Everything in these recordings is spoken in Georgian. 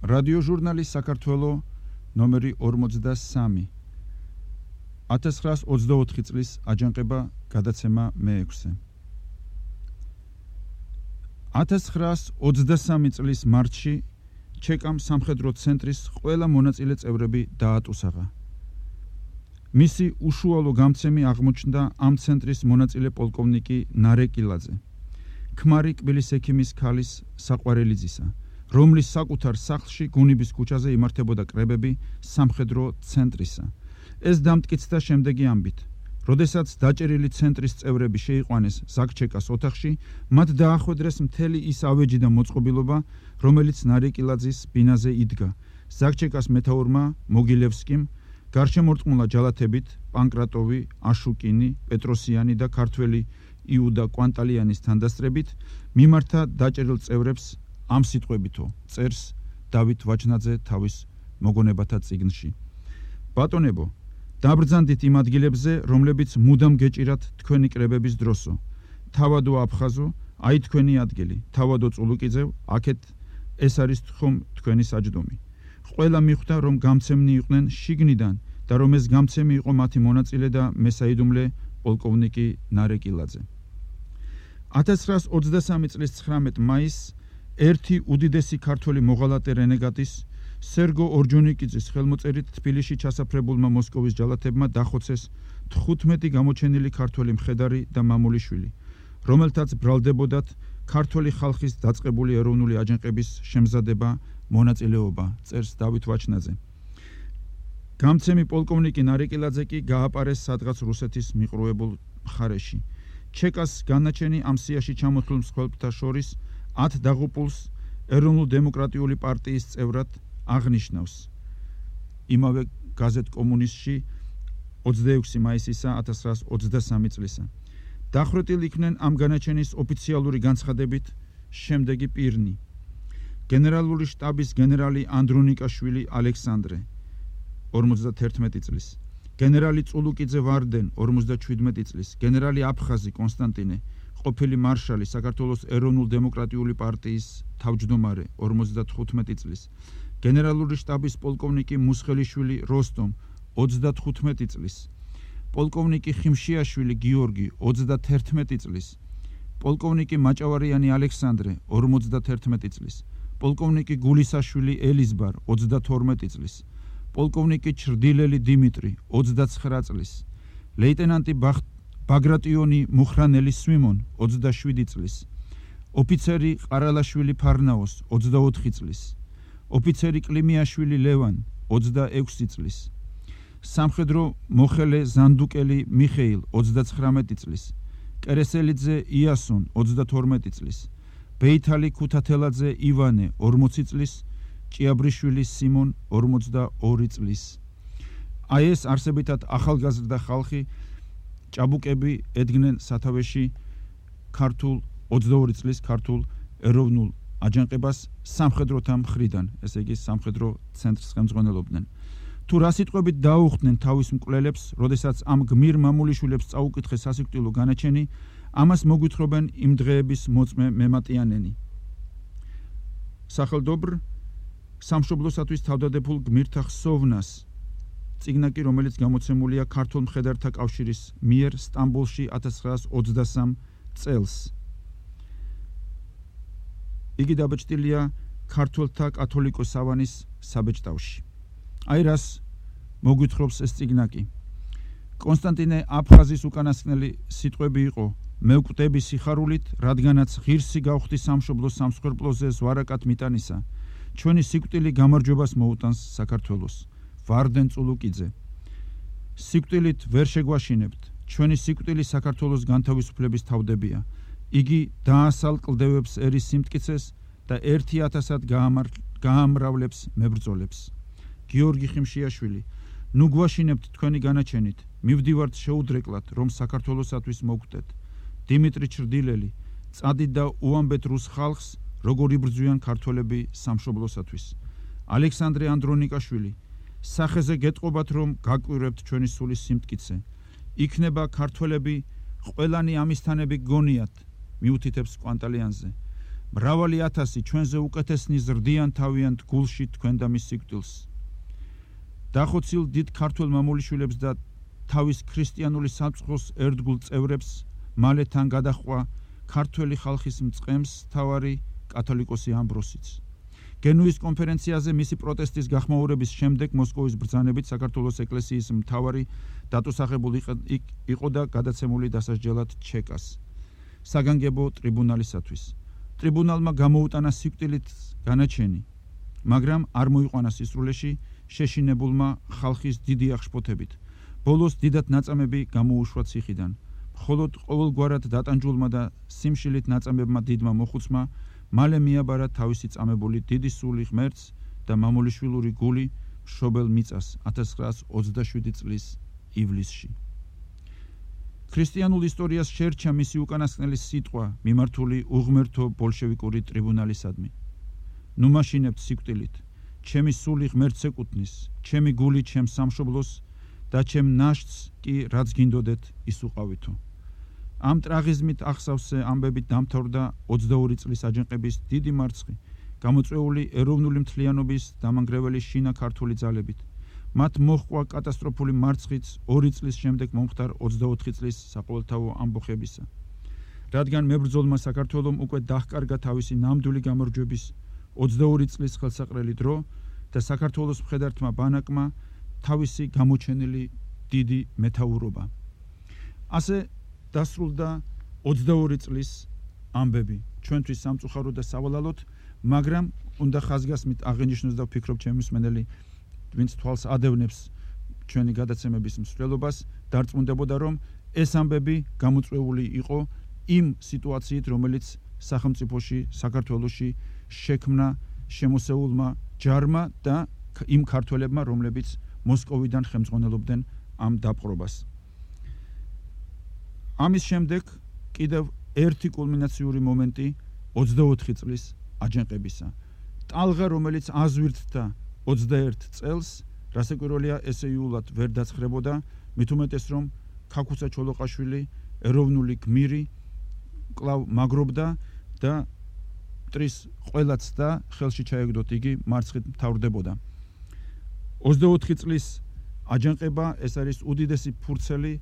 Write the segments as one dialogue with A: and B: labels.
A: რადიოჟურნალი საქართველო ნომერი 43 1924 წლის აჯანყება გადაცემა მე-6 1923 წლის მარტში ჩეკამ სამხედრო ცენტრის ყველა მონაწილე წევრები დაატუსაღა. მისი უშუალო გამცემი აღმოჩნდა ამ ცენტრის მონაწილე პოლკოვნიკი ნარეკილაძე, ქმარი კბილის ექიმის ქალის საყვარელიძისა, რომლის საკუთარ სახლში გუნიბის ქუჩაზე იმართებოდა კრებები სამხედრო ცენტრისა. ეს დამტკიცდა შემდეგი ამბით: როდესაც დაჭერილი ცენტრის წევრები შეიყვანეს ზაგჩეკას ოთახში, მათ დაახვედრეს მთელი ის ავეჯი და მოწყობილობა, რომელიც ნარეკილაძის ბინაზე იდგა. ზაგჩეკას მეთაურმა მოგილევსკიმ გარშემორტყმულა ჯალათებით პანკრატოვი, აშუკინი, პეტროსიანი და ქართველი იუდა კვანტალიანის თანდასწრებით მიმართა დაჭერილ წევრებს ამ სიტყვებითო წერს დავით ვაჩნაძე თავის მოგონებათა წიგნში. ბატონებო, დაბრძანდით იმ ადგილებზე, რომლებიც მუდამ გეჭირათ თქვენი კრებების დროსო. თავადო აფხაზო, აი თქვენი ადგილი, თავადო წულუკიძევ, აქეთ ეს არის ხომ თქვენი საჯდომი. ყველა მიხვდა, რომ გამცემნი იყვნენ შიგნიდან და რომ ეს გამცემი იყო მათი მონაწილე და მესაიდუმლე პოლკოვნიკი ნარეკილაძე. 1923 წლის 19 მაისს ერთი უდიდესი ქართველი მოღალატე რენეგატის სერგო ორჯონიკიძის ხელმოწერით თბილისში ჩასაფრებულმა მოსკოვის ჯალათებმა დახოცეს 15 გამოჩენილი ქართველი მხედარი და მამულიშვილი, რომელთაც ბრალდებოდათ ქართველი ხალხის დაწყებული ეროვნული აჯანყების შემზადება, მონაწილეობა, წერს დავით ვაჩნაძე. გამცემი პოლკოვნიკი ნარეკილაძე კი გააპარეს სადღაც რუსეთის მიყრუებულ მხარეში. ჩეკას განაჩენი ამ სიაში ჩამოთვლილ მსხვერპლთა შორის 10 დაღუპულს ეროვნულ-დემოკრატიული პარტიის წევრად აღნიშნავს. იმავე გაზეთ კომუნისტში 26 მაისისა 1923 წლისა. დახვრეტილ იქნენ ამ განაჩენის ოფიციალური განცხადებით შემდეგი პირნი: გენერალური შტაბის გენერალი ანდრონიკაშვილი ალექსანდრე 51 წლის, გენერალი წულუკიძე ვარდენ 57 წლის, გენერალი აფხაზი კონსტანტინე, ყოფილი მარშალი საქართველოს ეროვნულ-დემოკრატიული პარტიის თავმჯდომარე 55 წლის, გენერალური შტაბის პოლკოვნიკი მუსხელიშვილი როსტომ 35 წლის, პოლკოვნიკი ხიმშიაშვილი გიორგი 31 წლის, პოლკოვნიკი მაჭავარიანი ალექსანდრე 51 წლის, პოლკოვნიკი გულისაშვილი ელიზბარ 32 წლის, პოლკოვნიკი ჩრდილელი დიმიტრი 29 წლის, ლეიტენანტი ბაგრატიონი მუხრანელი სვიმონ 27 წლის, ოფიცერი ყარალაშვილი ფარნაოს 24 წლის, ოფიცერი კლიმიაშვილი ლევან 26 წლის, სამხედრო მოხელე ზანდუკელი მიხეილ 39 წლის, კერესელიძე იასონ 32 წლის, ბეითალი ქუთათელაძე ივანე 40 წლის, ჭიაბრიშვილი სიმონ 42 წლის. აი ეს არსებითად ახალგაზრდა ხალხი ჭაბუკები ედგნენ სათავეში ქართულ 22 წლის ქართულ ეროვნულ აჯანყებას სამხედროთა მხრიდან, ესე იგი სამხედრო ცენტრს ხელმძღვანელობდნენ. თუ რა სიტყვებით დაუხდნენ თავის მკვლელებს, როდესაც ამ გმირ მამულიშვილებს წაუკითხეს სასიკვდილო განაჩენი, ამას მოგვითხრობენ იმ დღეების მოწმე მემატიანენი. სახელდობრ სამშობლოსათვის თავდადებულ გმირთა ხსოვნას, წიგნაკი, რომელიც გამოცემულია ქართულ მხედართა კავშირის მიერ სტამბოლში 1923 წელს. იგი დაბეჭდილია ქართველთა კათოლიკოს სავანის საბეჭდავში. აი რას მოგვითხრობს ეს წიგნაკი. კონსტანტინე აფხაზის უკანასკნელი სიტყვები იყო: მე ვკვდები სიხარულით, რადგანაც ღირსი გავხდი სამშობლოს სამსხვერპლოზე ზვარაკად მიტანისა, ჩვენი სიკვდილი გამარჯვებას მოუტანს საქართველოს. ვარდენ წულუკიძე. სიკვდილით ვერ შეგვაშინებთ, ჩვენი სიკვდილი საქართველოს განთავისუფლების თავდებია. იგი დაასალ კლდევებს ერის სიმტკიცეს და 1000-ად გაამრავლებს მებრძოლებს. გიორგი ხიმშიაშვილი. ნუ გვაშინებთ თქვენი განაჩენით, მივდივართ შეუდრეკლად, რომ საქართველოსათვის მოგხვდეთ. დიმიტრი ჩრდილელი. წადით და უამბეთ რუს ხალხს, როგორ იბრძვიან ქართველები სამშობლოსათვის. ალექსანდრე ანდრონიკაშვილი. სახეზე გეტყობათ, რომ გაკვირვებთ ჩვენი სულის სიმტკიცე. იქნება ქართველები ყველანი ამისთანები გონიათ, მიუთითებს კვანტალიანზე. მრავალი ათასი ჩვენზე უკეთესნი ზრდიან თავიანთ გულში თქვენ და მის სიკვდილს. დახოცილ დიდ ქართველ მამულიშვილებს და თავის ქრისტიანული სამწყროს ერთგულ წევრებს მალე თან გადაჰყვა ქართველი ხალხის მწყემს თავარი კათოლიკოსი ამბროსიც. გენუის კონფერენციაზე მისი პროტესტის გახმაურების შემდეგ მოსკოვის ბრძანებით საქართველოს ეკლესიის მთავარი დატოსაღებული იყო და გადაცემული დასასჯელად ჩეკას საგანგებო ტრიბუნალისათვის. ტრიბუნალმა გამოუტანა სიკვდილით განაჩენი, მაგრამ არ მოიყვანა სისრულეში შეშინებულმა ხალხის დიდი აღშფოთებით. ბოლოს დიდად ნაწამები გამოუშვა ციხიდან. მხოლოდ ყოველგვარად დატანჯულმა და სიმშილით ნაწამებმა დიდმა მოხუცმა მალე მიაბარა თავისი წამებული დიდი სული ღმერთს და მამულიშვილური გული მშობელ მიწას 1927 წლის ივლისში. ქრისტიანულ ისტორიას შერჩა მისი უკანასკნელი სიტყვა მიმართული უღმერთო ბოლშევიკური ტრიბუნალისადმი. ნუ მაშინებთ სიკვდილით, ჩემი სული ღმერთს ეკუთვნის, ჩემი გული ჩემს სამშობლოს და ჩემ ნაშთს კი რაც გინდოდეთ ის უყავითო. ამ ტრაგიზმით ახსავსე ამბებით დამთავრდა 22 წლის აჯანყების დიდი მარცხი, გამოწვეული ეროვნული მთლიანობის დამანგრეველი შინა ქართული ძალებით. მათ მოჰყვა კატასტროფული მარცხიც 2 წლის შემდეგ მომხდარ 24 წლის საყოველთაო ამბოხებისა. რადგან მებრძოლმა საქართველომ უკვე დაჰკარგა თავისი ნამდვილი გამარჯვების 22 წლის ხელსაყრელი დრო და საქართველოს მხედართმა ბანაკმა თავისი გამოჩენილი დიდი მეთაურობა. ასე დასრულდა 22 წლის ამბები ჩვენთვის სამწუხარო და სავალალოდ, მაგრამ უნდა ხაზგასმით აღენიშნოს და ვფიქრობ ჩემი მსმენელი ვინც თვალს ადევნებს ჩვენი გადაცემების მსვლელობას დარწმუნდებოდა რომ ეს ამბები გამოწვეული იყო იმ სიტუაციით რომელიც სახელმწიფოში საქართველოში შექმნა შემოსეულმა ჯარმა და იმ ქართველებმა რომლებიც მოსკოვიდან ხელმძღვანელობდნენ ამ დაპყრობას. ამის შემდეგ კიდევ ერთი კულმინაციური მომენტი 24 წლის აჯანყებისა. ტალღა რომელიც აზვირთდა 21 წელს, რასაკვირველია ესეიულად ვერ დაცხრებოდა, მით უმეტეს რომ ქაქუცა ჩოლოყაშვილი ეროვნული გმირი კვლავ მაგრობდა და მტრის ყველაც და ხელში ჩაეგდოთ იგი მარცხით მთავრდებოდა. 24 წლის აჯანყება ეს არის უდიდესი ფურცელი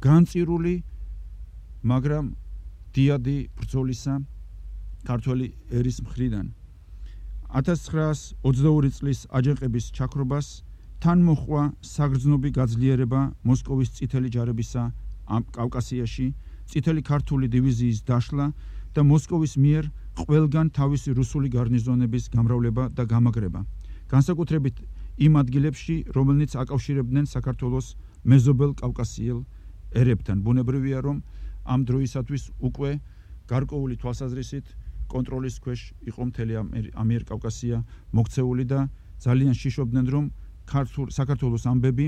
A: განწირული, მაგრამ დიადი ბრძოლისა ქართველი ერის მხრიდან. 1922 წლის აჯანყების ჩაქრობას თან მოჰყვა საგრძნობი გაძლიერება მოსკოვის წითელი ჯარებისა კავკასიაში, წითელი ქართული დივიზიის დაშლა და მოსკოვის მიერ ყველგან თავისი რუსული გარნიზონების გამრავლება და გამაგრება. განსაკუთრებით იმ ადგილებში, რომელნიც აკავშირებდნენ საქართველოს მეზობელ კავკასიელ ერებთან. ბუნებრივია, რომ ამ დროისათვის უკვე გარკვეული თვალსაზრისით კონტროლის ქვეშ იყო მთელი ამიერკავკასია მოქცეული და ძალიან შიშობდნენ, რომ საქართველოს ამბები,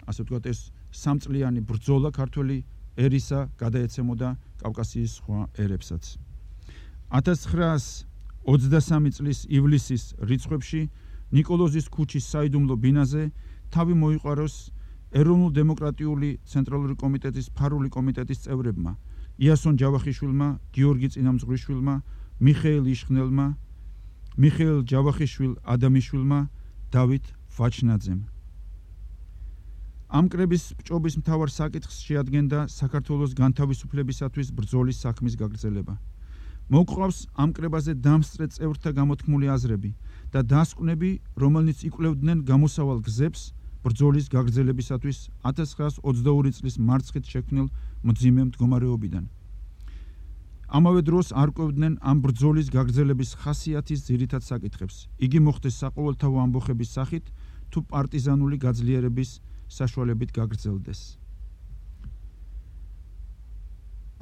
A: ასე ვთქვათ, ეს სამწლიანი ბრძოლა ქართველი ერისა გადაეცემოდა კავკასიის სხვა ერებსაც. 1923 წლის ივლისის რიცხვებში ნიკოლოზის ქუჩის საიდუმლო ბინაზე თავი მოიყვაროს ეროვნულ-დემოკრატიული ცენტრალური კომიტეტის ფარული კომიტეტის წევრებმა, იასონ ჯავახიშვილმა, გიორგი წინამძღვრიშვილმა, მიხეილ იშხნელმა, მიხეილ ჯავახიშვილ ადამიშვილმა, დავით ვაჩნაძემ. ამ კრების ბჭობის მთავარ საკითხს შეადგენდა საქართველოს განთავისუფლებისათვის ბრძოლის საქმის გაგრძელება. მოგვყავს ამ კრებაზე დამსწრე წევრთა გამოთქმული აზრები და დასკვნები, რომელნიც იკვლევდნენ გამოსავალ გზებს ბრძოლის გაგრძელებისათვის 1922 წლის მარცხით შექმნილ მძიმე მდგომარეობიდან. ამავე დროს არ კვევდნენ ამ ბრძოლის გაგრძელების ხასიათის ძირითად საკითხებს. იგი მოხდეს საყოველთაო ამბოხების სახით თუ პარტიზანული გაძლიერების საშუალებით გაგრძელდეს.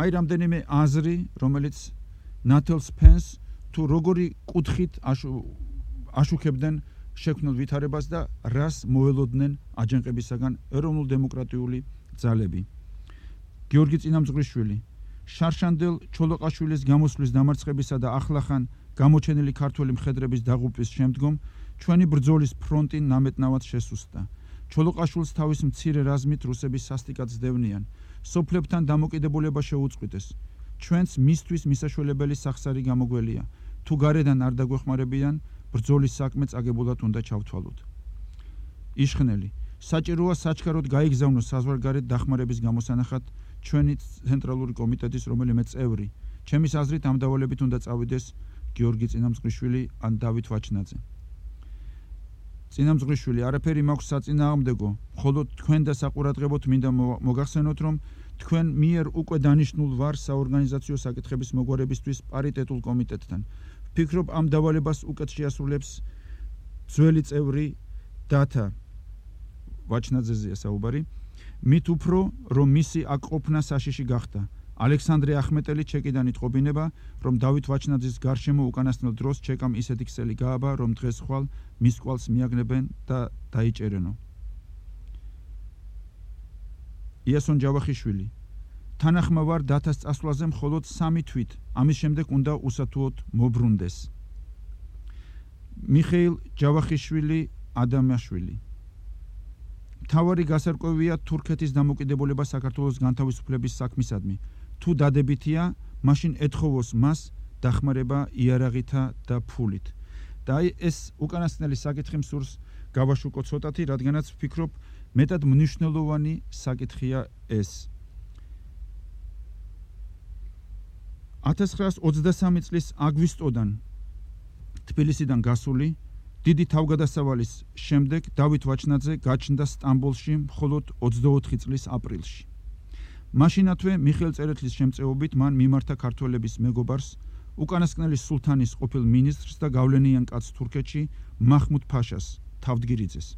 A: აი რამდენიმე აზრი, რომელიც ნათელს ფენს თუ როგორი კუთხით აშუქებდნენ შექმნილ ვითარებას და რას მოელოდნენ აჯანყებისაგან ეროვნულ-დემოკრატიული ძალები. გიორგი წინამძღვრიშვილი შარშანდელ ჩოლოყაშვილის გამოსვლის დამარცხებისა და ახლახან გამოჩენილი ქართველი მხედრების დაღუპვის შემდგომ ჩვენი ბრძოლის ფრონტი ნამეტნავად შესუსტდა. ჩოლოყაშვილს თავის მცირე რაზმით რუსები სასტიკად სდევნიან, სოფლებთან დამოკიდებულება შეუწყვიტეს. ჩვენც მისთვის მისაშველებელი სახსარი გამოგველია. თუ გარედან არ დაგვეხმარებიან, ბრძოლის საქმე წაგებულად უნდა ჩავთვალოთ. იშხნელი, საჭიროა საჩქაროდ გაიგზავნოს საზღვარგარეთ დახმარების გამოსანახად ჩვენი ცენტრალური კომიტეტის რომელიმე წევრი. ჩემის აზრით ამ დავალებით უნდა წავიდეს გიორგი წინამძღვრიშვილი ან დავით ვაჩნაძე. წინამძღვრიშვილი, არაფერი მაქვს საწინააღმდეგო, მხოლოდ თქვენ და საყურადღებოდ მინდა მოგახსენოთ, რომ თქვენ მიერ უკვე დანიშნულ ვარ საორგანიზაციო საკითხების მოგვარებისთვის პარიტეტულ კომიტეტთან. ვფიქრობ, ამ დავალებას უკეთ შეასრულებს ძველი წევრი დათა ვაჩნაძეზეა საუბარი, მით უფრო, რომ მისი აქ ყოფნა საშიში გახდა. ალექსანდრე ახმეტელი ჩეკიდან იტყობინება, რომ დავით ვაჩნაძის გარშემო უკანასკნელ დროს ჩეკამ ისეთი ქსელი გააბა, რომ დღეს ხვალ მის კვალს მიაგნებენ და დაიჭერენო. იასონ ჯავახიშვილი, თანახმა ვარ დათას წასვლაზე მხოლოდ 3 თვით, ამის შემდეგ უნდა უსათუოდ მობრუნდეს. მიხეილ ჯავახიშვილი ადამიანშვილი, მთავარი გასარკვევია თურქეთის დამოუკიდებულება საქართველოს განთავისუფლების საქმისადმი. თუ დადებითია, მაშინ ეთხოვოს მას დახმარება იარაღითა და ფულით. და აი ეს უკანასკნელი საკითხი მსურს გავაშუქო ცოტათი, რადგანაც ვფიქრობ, მეტად მნიშვნელოვანი საკითხია ეს. 1923 წლის აგვისტოდან თბილისიდან გასული დიდი თავგადასავალის შემდეგ დავით ვაჩნაძე გაჩნდა სტამბოლში მხოლოდ 24 წლის აპრილში. მაშინათვე მიხეილ წერეთლის შემწეობით მან მიმართა ქართველების მეგობარს, უკანასკნელი სულთანის ყოფილ მინისტრს და გავლენიან კაცს თურქეთში მაჰმუდ ფაშას თავდგირიძეს.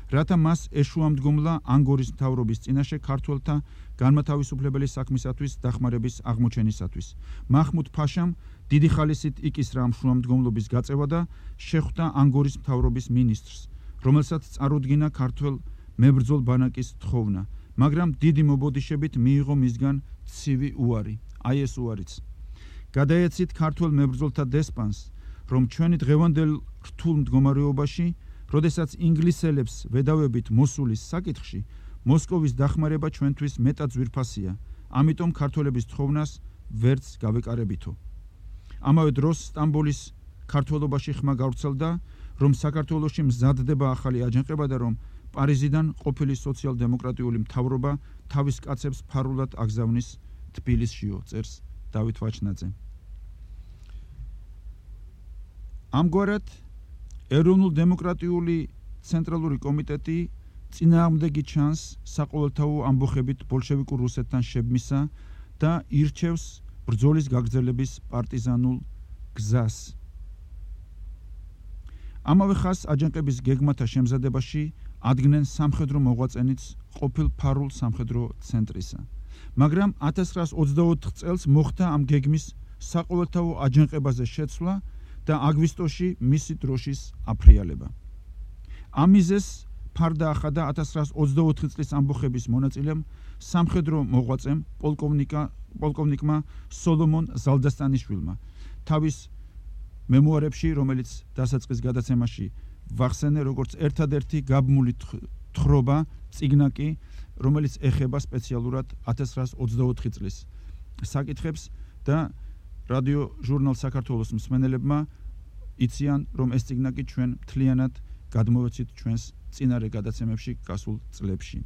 A: რათა მას ეშუამდგომლა ანგორის მთავრობის წინაშე ქართველთა განმათავისუფლებელი საქმისათვის დახმარების აღმოჩენისათვის. მაჰმუდ ფაშამ დიდი ხალისით იკისრა ამ შუამდგომლობის გაწევა და შეხვდა ანგორის მთავრობის მინისტრს, რომელსაც წარუდგინა ქართველ მებრძოლ ბანაკის თხოვნა, მაგრამ დიდი მობოდიშებით მიიღო მისგან ცივი უარი, აი ეს უარიც. გადაეცით ქართველ მებრძოლთა დესპანს, რომ ჩვენი დღევანდელ რთულ მდგომარეობაში, როდესაც ინგლისელებს ვედავებით მოსულის საკითხში, მოსკოვის დახმარება ჩვენთვის მეტად ძვირფასია, ამიტომ ქართველების თხოვნას ვერც გავეკარებითო. ამავე დროს სტამბოლის ქართველობაში ხმა გავრცელდა, რომ საქართველოში მზადდება ახალი აჯანყება და რომ პარიზიდან ყოფილი სოციალ-დემოკრატიული მთავრობა თავის კაცებს ფარულად აგზავნის თბილისშიო, წერს დავით ვაჩნაძე. ამგვარად ეროვნულ-დემოკრატიული ცენტრალური კომიტეტი წინააღმდეგი ჩანს საყოველთაო ამბოხებით ბოლშევიკურ რუსეთთან შებმისა და ირჩევს ბრძოლის გაგრძელების პარტიზანულ გზას. ამავე ხაზს აჯანყების გეგმათა შემზადებაში ადგენენ სამხედრო მოღვაწენიც ყოფილ ფარულ სამხედრო ცენტრისა. მაგრამ 1924 წელს მოხდა ამ გეგმის საყოველთაო აჯანყებაზე შეცვლა და აგვისტოში მისი დროშის აფრიალება. ამ მიზეზს ფარდა ახადა 1924 წლის ამბოხების მონაწილემ სამხედრო მოღვაწემ პოლკოვნიკმა სოლომონ ზალდასტანიშვილმა თავის მემუარებში, რომელიც დასაწყის გადაცემაში ვახსენე როგორც ერთადერთი გაბმული თხრობა წიგნაკი, რომელიც ეხება სპეციალურად 1924 წლის საკითხებს და რადიო ჟურნალ საქართველოს მსმენელებმა იციან, რომ ეს წიგნაკი ჩვენ მთლიანად გადმოვეცით ჩვენს წინარე გადაცემებში გასულ წლებში.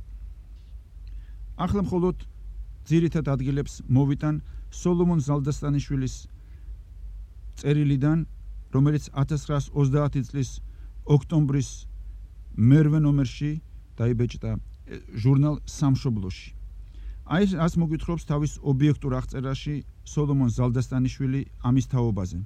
A: ახლა მხოლოდ ძირითად ადგილებს მოვიტან სოლომონ ზალდასტანიშვილის წერილიდან, რომელიც 1930 წლის ოქტომბრის მერვე ნომერში დაიბეჭდა ჟურნალ სამშობლოში. აი ას მოგვითხრობს თავის ობიექტურ აღწერაში სოლომონ ზალდასტანიშვილი ამის თაობაზე.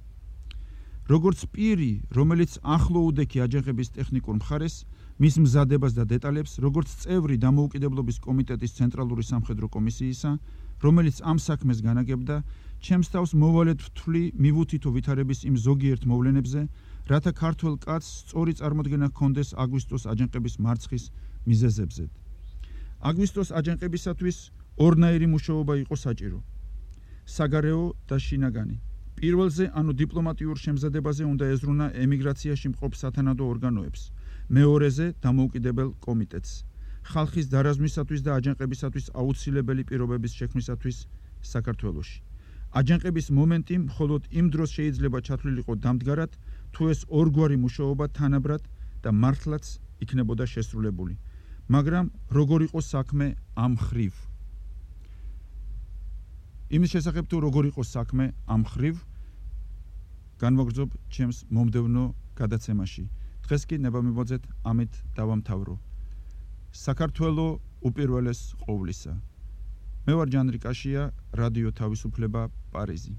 A: როგორც პირი, რომელიც ახლო უდექი აჯანყების ტექნიკურ მხარეს, მის მზადებას და დეტალებს, როგორც წევრი დამოუკიდებლობის კომიტეტის ცენტრალური სამხედრო კომისიისა, რომელიც ამ საქმეს განაგებდა, ჩემს თავს მოვალედ ვთვლი მივუთითო ვითარების იმ ზოგიერთ მოვლენებზე, რათა ქართველ კაცს სწორი წარმოდგენა ჰქონდეს აგვისტოს აჯანყების მარცხის მიზეზებზე. აგვისტოს აჯანყებისათვის ორნაირი მუშაობა იყო საჭირო. საგარეო და შინაგანი. პირველზე, ანუ დიპლომატიურ შემზადებაზე უნდა ეზრუნა ემიგრაციაში მყოფ სათანადო ორგანოებს. მეორეზე, დამოუკიდებელ კომიტეტს. ხალხის დარაზმისათვის და აჯანყებისათვის აუცილებელი პირობების შექმნისათვის საქართველოში. აჯანყების მომენტი მხოლოდ იმ დროს შეიძლება ჩათვლილიყო დამდგარად, თუ ეს ორგვარი მუშაობა თანაბრად და მართლაც იქნებოდა შესრულებული. მაგრამ როგორ იყო საქმე ამ ხრივ? იმის შესახებ თუ როგორ იყო საქმე ამ ხრივ, განვაგრძობ ჩემს მომდევნო გადაცემაში. დღეს კი ნებამიბოძეთ ამით დავამთავრო. საქართველო უპირველეს ყოვლისა. მე ვარ ჯანრი კაშია, რადიო თავისუფლება, პარიზი.